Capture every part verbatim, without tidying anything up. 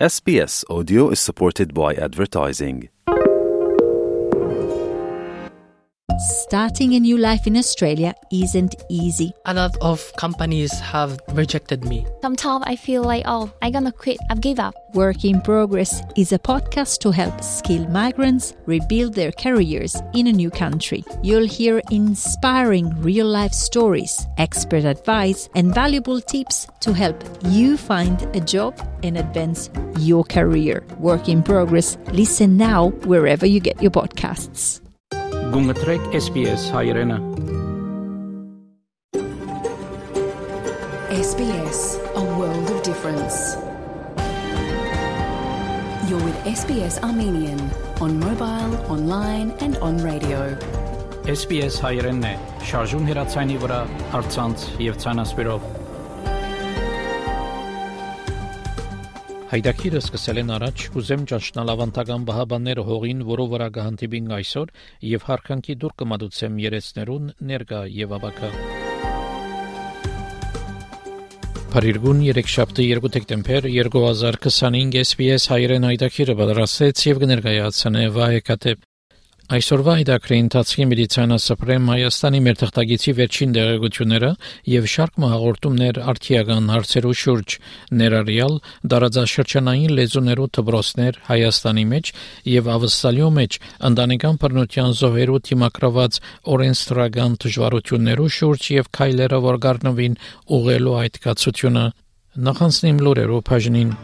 S B S Audio is supported by advertising. Starting a new life in Australia isn't easy. A lot of companies have rejected me. Sometimes I feel like, oh, I'm gonna quit, I've give up. Work in Progress is a podcast to help skilled migrants rebuild their careers in a new country. You'll hear inspiring real-life stories, expert advice, and valuable tips to help you find a job and advance your career. Work in Progress. Listen now wherever you get your podcasts. Գունգտրեք S B S հայրենը S B S, a world of difference. You're with S B S Armenian on mobile, online and on radio. S B S հայրենն է շարժուն հեռացանի վրա առցանց եւ ցանասպիրով Հայդակիրը սկսել են առաջ ուզեմ ճաշնալ ավանդական բահաբանները հողին, որով վրա կհանդիպին այսօր եւ հարկանքի դուր կմատուցեմ երեցներուն ներկա եւ աբակա Փարիգուն երեքշաբթի երկու դեկտեմբեր երկու հազար քսանհինգ S B S հայրեն հայդակիրը պատրաստեց եւ կներկայացնե Վահեկատեպ Այսօրվա հայդակրի ընթացքի մեդիցինա սպրեմ Հայաստանի մեր թղթագիտի վերջին դեղեցությունները եւ շարք հաղորդումներ արդիական հարցերու շուրջ ներառյալ դարաձաշրջանային լեզուներու դպրոցներ Հայաստանի մեջ եւ ավստալիո մեջ ընտանեկան բռնության զոհերու թիմակրված օրենսդրական դժվարություններու շուրջ եւ քայլերը որ գարնվին ուղղելու այդ կացությունը նախանցնիմ լուրերով բաժնին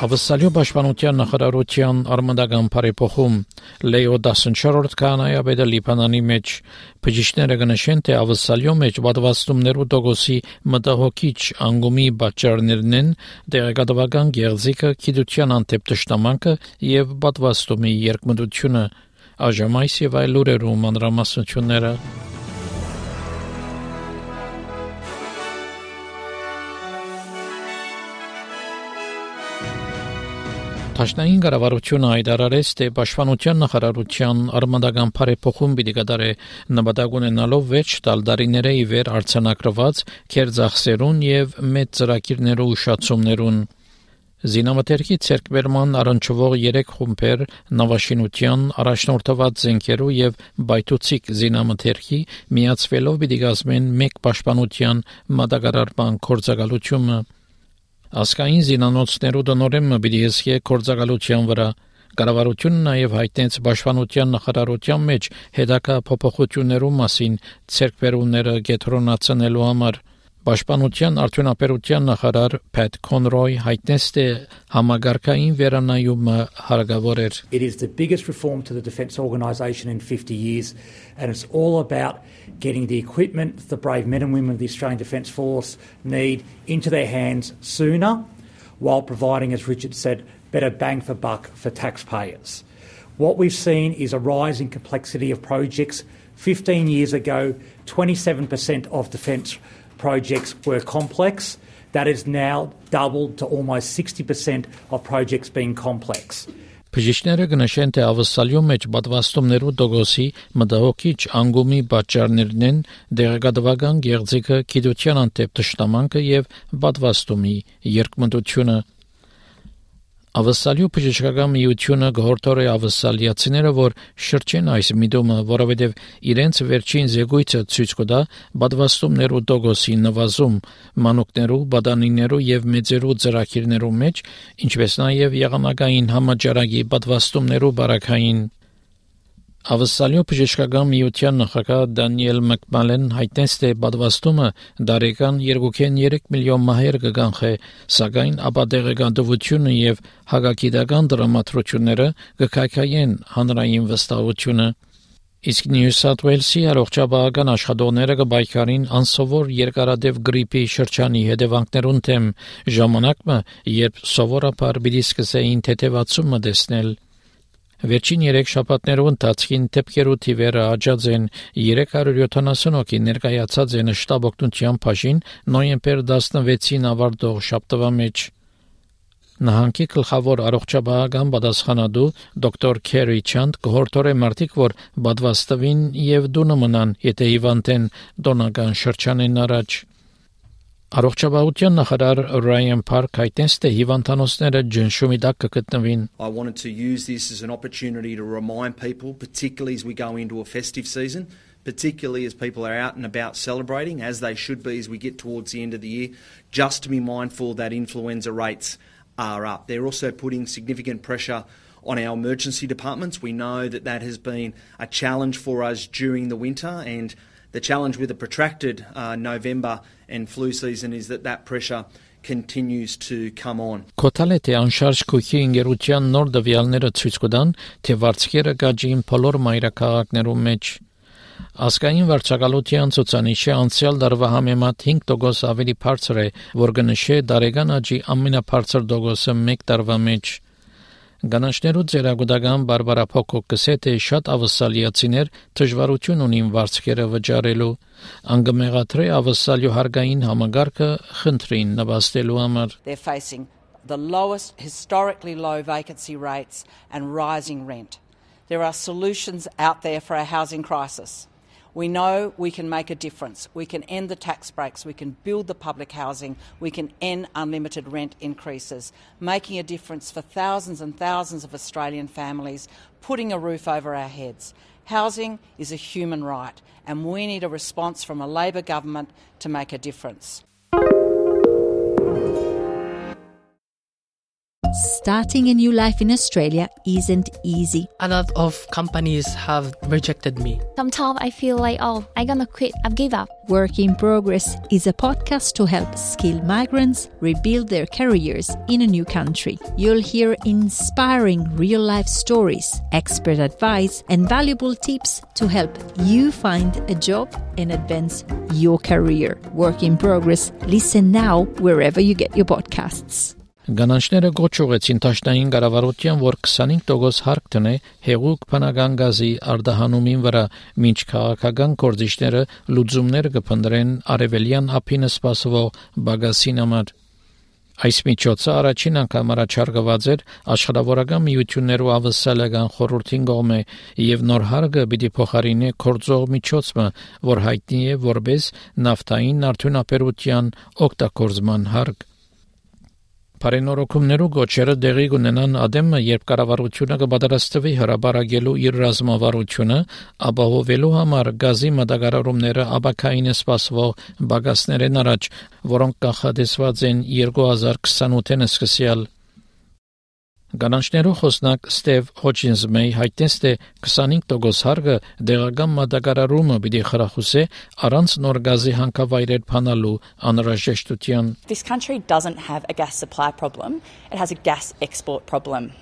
Ավստալիո պաշտպանության նախարարության արմատական բարեփոխում Լեո տասնչորսերորդ կանայաբեդը Լիբանանի մեջ բժիշկները գնահատեն թե ավստալիո մեջ պատվաստումներու դոգոսի մտահոգիչ անգումի պատճառներն են դեղեկատվական գեղձիկը, գիտության անթեփ տշտամանքը եւ պատվաստումի երկմտությունը Աժամայս եւ այլ լուրերու մանրամասնությունները Տաշնային կառավարությունը հայտարարեց, թե պաշտպանության նախարարության արմատական բարեփոխում պիտի կատարի նպատակ ունենալով վեց տարիների ի վեր արձանագրված քերձախսերուն եւ մեծ ծրագիրներու ուշացումներուն Զինամթերքի ցերկվերման առնչվող երեք խումբեր նավաշինության առաջնորդված զենքերու եւ բայթուցիկ զինամթերքի միացվելով պիտի կազմեն մեկ պաշտպանության մատակարարման կորցակալությունը Ասկային զինանոցներու դնորեմը պիտի հսկե կորցակալության վրա կառավարությունը նաև հայտնեց պաշտպանության նախարարության մեջ հետագա փոփոխություններու մասին ցերկվերումները գետրոնացնելու համար Պաշտպանության արդյունաբերության նախարար Pat Conroy հայտնեց թե համագարկային վերանայումը հարկավոր էր It is the biggest reform to the defence organisation in fifty years and it's all about getting the equipment the brave men and women of the Australian Defence Force need into their hands sooner while providing, as Richard said, better bang for buck for taxpayers. What we've seen is a rise in complexity of projects. fifteen years ago, twenty-seven percent of defence projects were complex. That is now doubled to almost sixty percent of projects being complex. Բժիշկները գնահատեն թե ավստալիո մեջ պատվաստումներու դոգոսի մտահոգիչ անգումի պատճառներն են դեղեկատվական գեղձիկը, գիտության անթեփ տշտամանքը եւ պատվաստումի երկմտությունը Ավստալիո բժշկական միությունը գորտորե ավստալիացիները որ շրջեն այս միտումը, որովհետև իրենց վերջին զեկույցը ցույց կտա պատվաստումներու դոգոսի նվազում, մանուկներու, բադանիներու եւ մեծերու ծրագիրներու մեջ, ինչպես նաեւ եղանակային համաճարակի պատվաստումներու բարակային Ավստալիո բժշկական միության նախագահ Դանիել Մակմալեն հայտնեց թե պատվաստումը դարեկան երկու կողմ երեք միլիոն մահեր կգանխե, սակայն ապատեղեկատվությունը եւ հագագիտական դրամատրությունները կքայքայեն հանրային վստահությունը Իսկ Նյու Սաութ Ուելսի առողջապահական աշխատողները կբայքարին անսովոր երկարատև գրիպի շրջանի հետևանքներուն թեմ ժամանակը, երբ սովորաբար պիտի սկսեին թեթևացումը տեսնել Վերջին երեք շաբաթներու ընթացքին դեպքերու թիվերը աճած են երեք հարյուր յոթանասուն հոգի ներկայացած են շտաբ օգնության բաժին նոյեմբեր տասնվեցին ավարտող շաբթվա մեջ Նահանգի գլխավոր առողջապահական պատասխանատու դոկտոր Քերի Չանդ կհորդորե մարդիկ, որ բադվաստվին եւ դունը մնան, եթե հիվանդեն դոնական շրջանեն առաջ։ Առողջապահության նախարար Ryan Park հայտնեց, թե հիվանդանոցները ջնշումի տակ կգտնվին։ I wanted to use this as an opportunity to remind people, particularly as we go into a festive season, particularly as people are out and about celebrating, as they should be as we get towards the end of the year, just to be mindful that influenza rates are up. They're also putting significant pressure on our emergency departments. We know that that has been a challenge for us during the winter, and the challenge with a protracted uh, November and flu season is that that pressure continues to come on. Կոթալետի անշարժ քույքի ինգերության նոր դվյալները ցույց կտան, թե վարձքերը գաջին բոլոր մայրաքաղաքներում մեջ։ Ասկային վարչակալության ցուցանիշը անցյալ դարվա համեմատ հինգ տոկոս ավելի բարձր է, որ կնշե դարեգան աճի ամենաբարձր տոկոսը մեկ տարվա մեջ։ Գանաչներու ձերագուտական բարբարափոխոք կսե թե շատ ավսալիացիներ դժվարություն ունին վարձքերը վճարելու, անգմեղատրե ավսալյո հարգային համագարկը խնդրին նվաստելու համար։ They're facing the lowest, historically low vacancy rates and rising rent. There are solutions out there for our housing crisis. We know we can make a difference. We can end the tax breaks. We can build the public housing. We can end unlimited rent increases, making a difference for thousands and thousands of Australian families, putting a roof over our heads. Housing is a human right, and we need a response from a Labor government to make a difference. Starting a new life in Australia isn't easy. A lot of companies have rejected me. Sometimes I feel like, oh, I'm gonna quit. I've given up. Work in Progress is a podcast to help skilled migrants rebuild their careers in a new country. You'll hear inspiring real-life stories, expert advice, and valuable tips to help you find a job and advance your career. Work in Progress. Listen now wherever you get your podcasts. Գանանչները գոչ ուղեցին տաշնային կառավարության, որ քսանհինգ տոկոս հարկ տնե հեղուկ բնական գազի արտահանումին վրա, մինչ քաղաքական գործիչները լուծումներ կփնտրեն արևելյան ափին սպասվող բագասին համար։ Այս միջոցը առաջին անգամ առաջարկված էր աշխարհավորական միություններու ավսալական խորհրդին կողմէ եւ նոր հարգը պիտի փոխարինի կորձող միջոցը, որ հայտնի է որպես նավթային արդյունաբերության օգտագործման հարկ։ Բարենորոգումներու գոչերը դեղի կունենան ադեմը, երբ կառավարությունը կպատրաստվի հրաբարակելու իր ռազմավարությունը, ապահովելու համար գազի մատակարարումները ապակային սպասվող բագասներեն առաջ, որոնք կանխատեսված են երկու հազար քսանութին սկսյալ։ Գանանչներու խոսնակ Ստեվ Հոչինսմեյ հայտնեց, թե քսանհինգ տոկոս հարգը դեղական մատակարարումը պիտի խրախուսե առանց նոր գազի հանքավայրեր փանալու անհրաժեշտության։ This country doesn't have a gas supply problem, it has a gas export problem.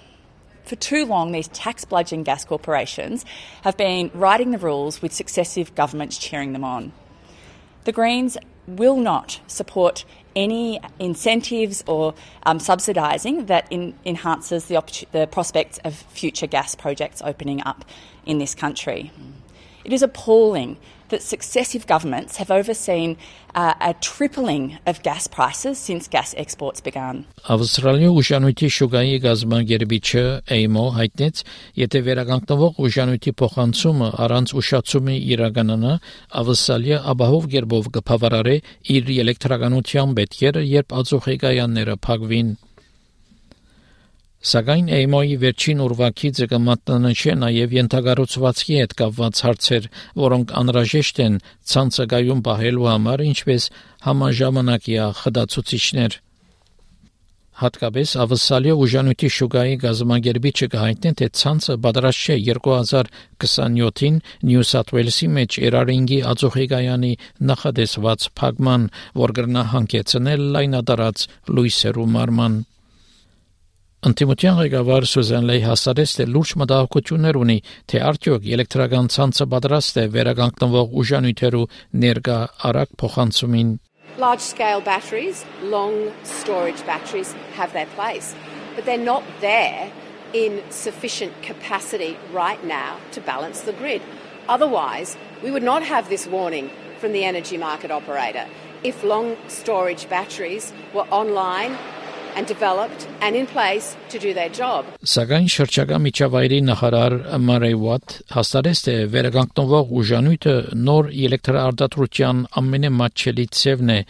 For too long, these tax-bludgeon gas corporations have been writing the rules with successive governments cheering them on. The Greens will not support any incentives or um, subsidising that in, enhances the, the prospects of future gas projects opening up in this country. It is appalling that successive governments have overseen uh, a tripling of gas prices since gas exports began. Ավստրալիա ուժանույթի շուգայի գազամագերբիչը Էյմո հայտնեց, եթե վերականգնվող ուժանույթի փոխանցումը առանց ուշացումի իրականանա, Ավստրալիա ապահով գերբով կբավարարի իր էլեկտրականության պետքերը, երբ ածուխեգայանները փակվին։ Սակայն Էյմոյի վերջին ուրվագիծը կմատնանշի նաև ենթակառուցվածքի հետ կապված հարցեր, որոնք անհրաժեշտ են ցանցագայում պահելու համար, ինչպես համաժամանակյա խտացուցիչներ։ Հատկապես ավսալիա ուժանույթի շուգայի գազամագերբիչը կհայտնի, թե ցանցը պատրաստ չէ երկու հազար քսանյոթին Նյու Սաթ Ուելսի մեջ Էրարինգի ածուխեգայանի նախադեсված փակման, որ կրնա հանգեցնել լայնատարած լույսերու մարման։ Անտիմության ղեկավար Սուզան Լեյ հասարեց, թե լուրջ մտահոգություններ ունի, թե արդյոք էլեկտրական ցանցը պատրաստ է վերականգնվող ուժանյութերու ներկա արագ փոխանցումին։ Large-scale batteries, long storage batteries have their place, but they're not there in sufficient capacity right now to balance the grid. Otherwise, we would not have this warning from the energy market operator. If long storage batteries were online and developed and in place to do their job. Սակայն շրջակա միջավայրի նախարար Մարեյ Ուաթ հաստատեց, թե վերականգնվող ուժանույթը նոր էլեկտրաարտադրության ամենամատչելի ցևն է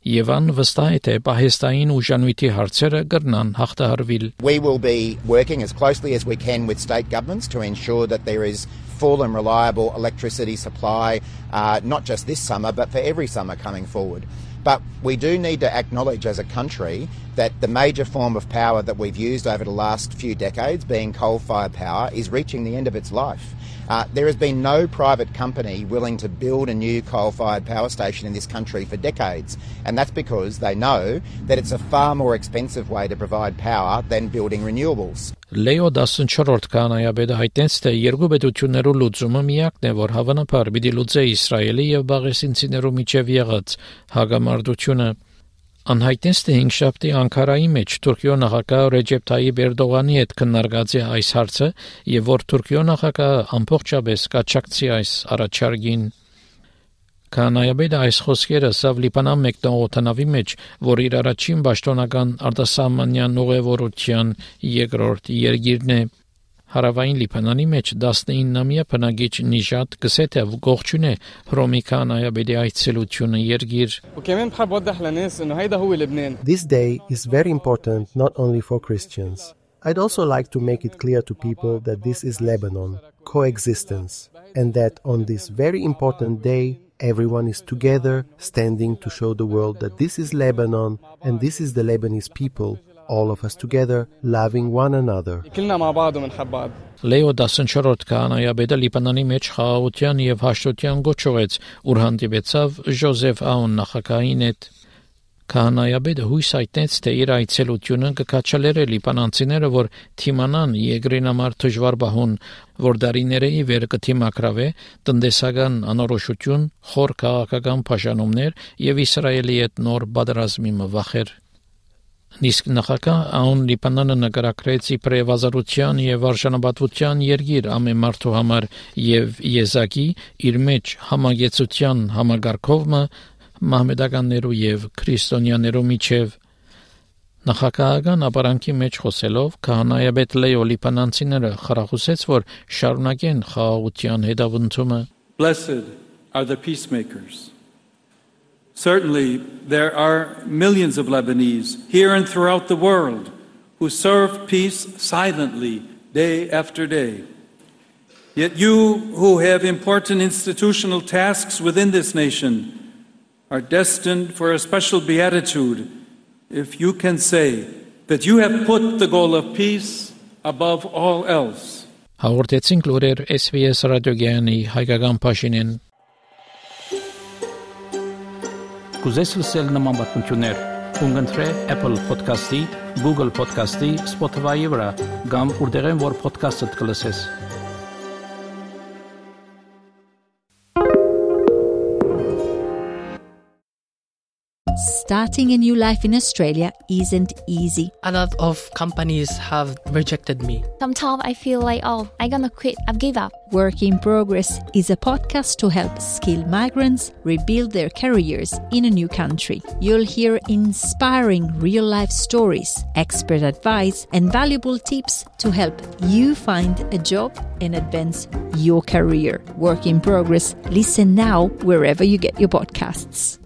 եւ ան վստահ է, թե պահեստային ուժանույթի հարցերը կգրնան հաղթահարվել. We will be working as closely as we can with state governments to ensure that there is full and reliable electricity supply, uh, not just this summer, but for every summer coming forward. But we do need to acknowledge as a country that the major form of power that we've used over the last few decades, being coal-fired power, is reaching the end of its life. Uh, there has been no private company willing to build a new coal-fired power station in this country for decades, and that's because they know that it's a far more expensive way to provide power than building renewables. Լեո տասնչորրորդ կանայաբեդը հայտնեց, թե երկու պետություններու լուծումը միակն է, որ հավանաբար պիտի լուծե Իսրայելի եւ բաղեսինցիներու միջև եղած հագամարտությունը. Անհայտնեց, թե հինգշաբթի Անկարայի մեջ Թուրքիո նախագահ Ռեջեփ Թայիփ Էրդողանի հետ քննարկած է այս հարցը եւ որ Թուրքիո նախագահը ամբողջապես կաչակցի այս առաջարկին. Կանայաբեդը այս խոսքերը սավ Լիբանան մեկնողոտնավի մեջ, որ իր առաջին պաշտոնական արտասահմանյան ուղևորության երկրորդ երկիրն է. Հարավային Լիբանանի մեջ տասնինամյա բնակիչ Նիժատ գսեթ է գողջուն է հռոմի կանայաբեդի այցելությունը երկիր. This day is very important not only for Christians. I'd also like to make it clear to people that this is Lebanon, coexistence, and that on this very important day everyone is together standing to show the world that this is Lebanon and this is the Lebanese people. All of us together, loving one another. Լեո տասնչորրորդ կանայաբեդը Լիբանանի մեջ խաղաղության եւ հաշտության գոչողեց, ուր հանդիպեցավ Ժոզեֆ Աուն նախագահին հետ. Կանայաբեդը հույս հայտնեց, թե իր այցելությունը կկաչալերը լիբանանցիները, որ թիմանան երկրին համար դժվար բահուն, որ դարիների վեր կթիմակրավե տնտեսական անորոշություն, խոր քաղաքական բաժանումներ եւ Իսրայելի հետ նոր պատերազմի մվախեր. Իսկ նախագահ Աուն Լիբանանը նկարագրեց իբրև ազատության եւ արժանապատվության երկիր ամեն մարդու համար եւ եզակի իր մեջ համագեցության համագարկովը մահմեդականներու եւ քրիստոնյաներու միջև. Նախագահական ապարանքի մեջ խոսելով քահանայաբեդ Լեո Լիբանանցիները խրախուսեց, որ շարունակեն խաղաղության հետապնդումը. Blessed are the peacemakers. Certainly, there are millions of Lebanese here and throughout the world who serve peace silently day after day. Yet you, who have important institutional tasks within this nation, are destined for a special beatitude if you can say that you have put the goal of peace above all else. Հաղորդեցինք լուրեր S B S ռադիոգյանի հայկական բաժինեն. Կուզես լսել նման բանություններ, կընտրե Apple Podcast-ի, Google Podcast-ի, Spotify-ի վրա, կամ որտեղեն որ podcast-ը կլսես. Starting a new life in Australia isn't easy. A lot of companies have rejected me. Sometimes I feel like, oh, I'm gonna quit, I've give up. Work in Progress is a podcast to help skilled migrants rebuild their careers in a new country. You'll hear inspiring real-life stories, expert advice, and valuable tips to help you find a job and advance your career. Work in Progress. Listen now wherever you get your podcasts.